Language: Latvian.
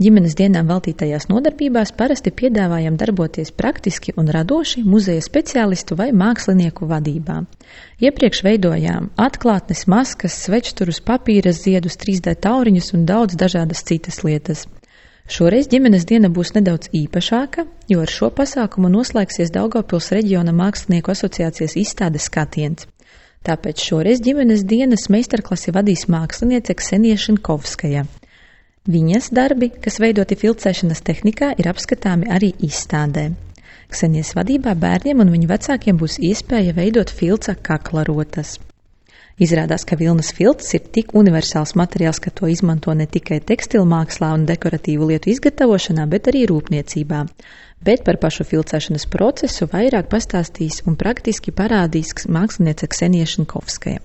Ģimenes dienām veltītajās nodarbībās parasti piedāvājam darboties praktiski un radoši muzeja speciālistu vai mākslinieku vadībā. Iepriekš veidojām atklātnes, maskas, svečturus, papīra ziedus, 3D tauriņus un daudz dažādas citas lietas. Šoreiz ģimenes diena būs nedaudz īpašāka, jo ar šo pasākumu noslēgsies Daugavpils reģiona mākslinieku asociācijas izstādes Skatiens. Tāpēc šoreiz ģimenes dienas meistarklasi vadīs māksliniece Ksenija Šinkovskaja. Viņas darbi, kas veidoti filcēšanas tehnikā, ir apskatāmi arī izstādē. Ksenijas vadībā bērniem un viņu vecākiem būs iespēja veidot filca kaklarotas. Izrādās, ka vilnas filcs ir tik universāls materiāls, ka to izmanto ne tikai tekstilmākslā un dekoratīvu lietu izgatavošanā, bet arī rūpniecībā. Bet par pašu filcēšanas procesu vairāk pastāstīs un praktiski parādīs māksliniece Ksenija Šinkovskaja.